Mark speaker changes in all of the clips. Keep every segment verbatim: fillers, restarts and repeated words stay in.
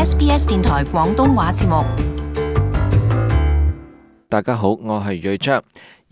Speaker 1: S B S 電台廣東話節目。
Speaker 2: 大家好，我係瑞章。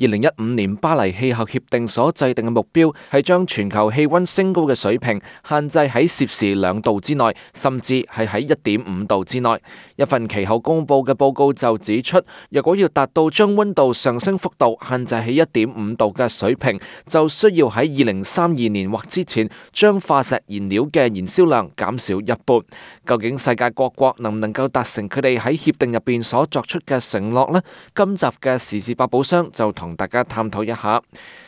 Speaker 2: 二零一五年巴黎氣候協定所制定嘅目標係將全球氣溫升高嘅水平限制喺攝氏兩度之內，甚至係喺一點五度之內。一份其後公佈嘅報告就指出，若果要達到將溫度上升幅度限制喺一點五度嘅水平，就需要喺二零三二年或之前將化石燃料嘅燃燒量減少一半。究竟世界各國能唔能夠達成佢哋喺協定入邊所作出嘅承諾呢？今集嘅時事百寶箱就同大家探討一下。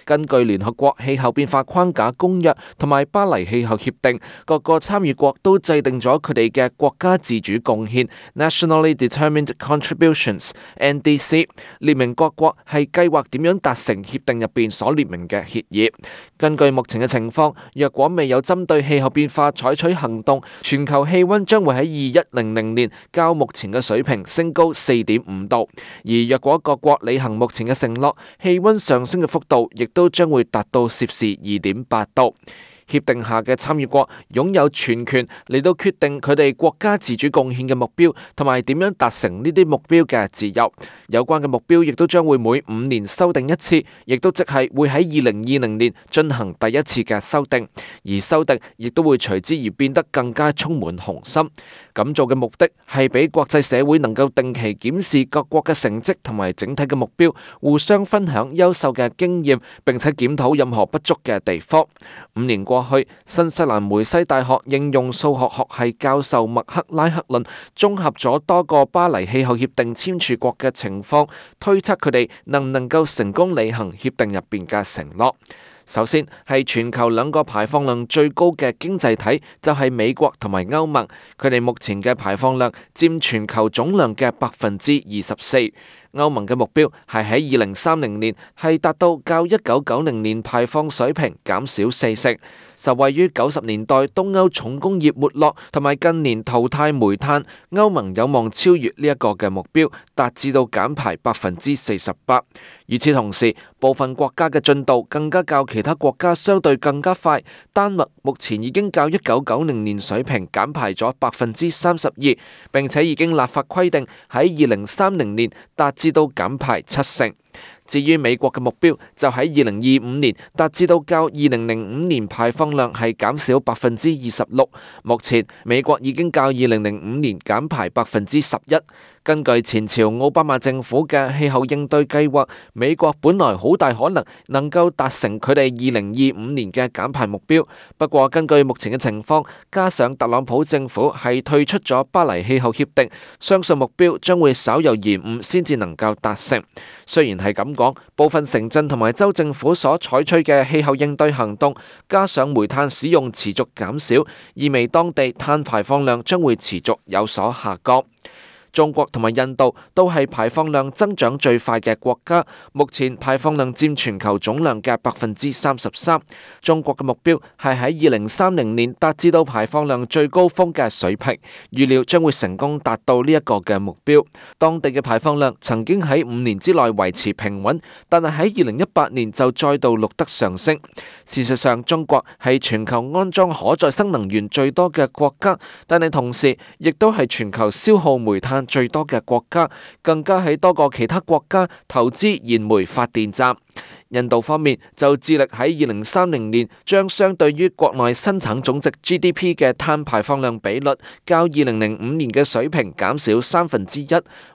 Speaker 2: 根據聯合國氣候變化框架公約同埋巴黎氣候協定，各個參與國都制定咗佢哋嘅國家自主貢獻 （Nationally Determined Contributions，N D C）， 列明各國係計劃點樣達成協定入邊所列明嘅協議。根據目前嘅情況，若果未有針對氣候變化採取行動，全球氣溫將會喺二一零零年較目前嘅水平升高四點五度。而若果各國履行目前嘅承諾，氣溫上升嘅幅度亦都將會達到攝氏二點八度。協定下嘅參與國擁有全權嚟到決定佢哋國家自主貢獻嘅目標，同埋點樣達成呢啲目標嘅自由。有關嘅目標亦都將會每五年修訂一次，亦都即係會喺二零二零年進行第一次嘅修訂，而修訂亦都會隨之而變得更加充滿雄心。咁做嘅目的係俾國際社會能夠定期檢視各國嘅成績同埋整體嘅目標，互相分享優秀嘅經驗，並且檢討任何不足嘅地方。五年過去，新西蘭梅西大學應用數學學系教授麥克拉克倫綜合咗多個巴黎氣候協定簽署國嘅情況，推測佢哋能唔能夠成功履行協定入邊嘅承諾。首先係全球兩個排放量最高嘅經濟體，就係美國同埋歐盟，佢哋目前嘅排放量佔全球總量嘅百分之二十四。歐盟嘅目標係喺二零三零年係達到較一九九零年排放水平減少四成。受惠於九十年代東歐重工業沒落同埋近年淘汰煤炭，歐盟有望超越呢一個嘅目標，達至到減排百分之四十八。與此同時，部分國家嘅進度更加較其他國家相對更加快。丹麥目前已經較一九九零年水平減排咗百分之三十二，並且已經立法規定喺二零三零年達至到減排七成。至於美國嘅目標，就喺二零二五年達至到較二零零五年排放量係減少百分之二十六。目前美國已經較二零零五年減排百分之十一。根據前朝奧巴馬政府嘅氣候應對計劃，美國本來好大可能能夠達成佢哋二零二五年嘅減排目標。不過根據目前嘅情況，加上特朗普政府係退出咗巴黎氣候協定，相信目標將會稍有延誤先至能夠達成。雖然係咁講，部分城鎮同埋州政府所採取嘅氣候應對行動，加上煤炭使用持續減少，意味當地碳排放量將會持續有所下降。中國同埋印度都係排放量增長最快嘅國家，目前排放量佔全球總量嘅百分之三十三。中國嘅目標係喺二零三零年達至到排放量最高峰嘅水平，預料將會成功達到呢一個嘅目標。當地嘅排放量曾經喺五年之內維持平穩，但係喺二零一八年就再度錄得上升。事實上，中國係全球安裝可再生能源最多嘅國家，但係同時亦都係全球消耗煤炭最多嘅國家，更加喺多個其他國家投資燃煤發電站。印度方面就致力喺二零三零年將相對於國內生產總值 G D P 嘅碳排放量比率較二零零五年嘅水平減少三分之一。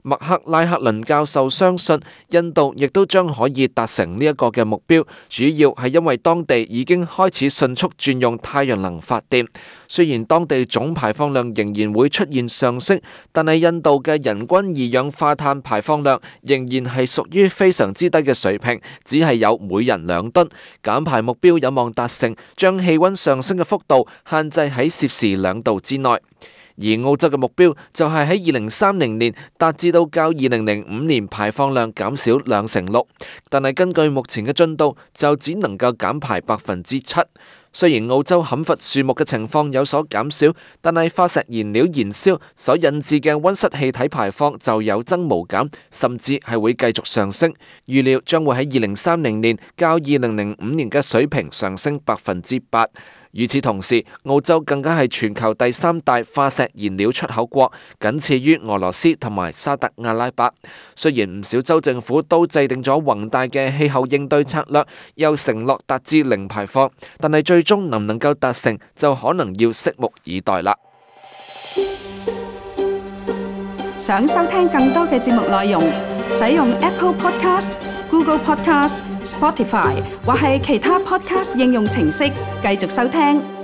Speaker 2: 麥克拉克倫教授相信印度亦都將可以達成呢一個嘅目標，主要係因為當地已經開始迅速轉用太陽能發電。雖然當地總排放量仍然會出現上升，但係印度嘅人均二氧化碳排放量仍然係屬於非常之低嘅水平，只係有每人兩噸。減排目標有望達成，將氣溫上升嘅幅度限制喺攝氏兩度之內。而澳洲嘅目標就係喺二零三零年達至到較二零零五年排放量減少兩成六，但係根據目前嘅進度，就只能夠減排百分之七。雖然澳洲砍伐樹木嘅情況有所減少，但係化石燃料燃燒所引致嘅溫室氣體排放就有增無減，甚至係會繼續上升。預料將會喺二零三零年較二零零五年嘅水平上升百分之八。與此同時，澳洲更加係全球第三大化石燃料出口國，僅次於俄羅斯同埋沙特阿拉伯。雖然唔少州政府都制定咗宏大嘅氣候應對策略，又承諾達至零排放，但係最終能唔能夠達成，就可能要拭目以待啦。
Speaker 3: 想收聽更多嘅節目內容，使用 Apple Podcast、Google Podcast、Spotify 或係其他 Podcast 應用程式繼續收聽。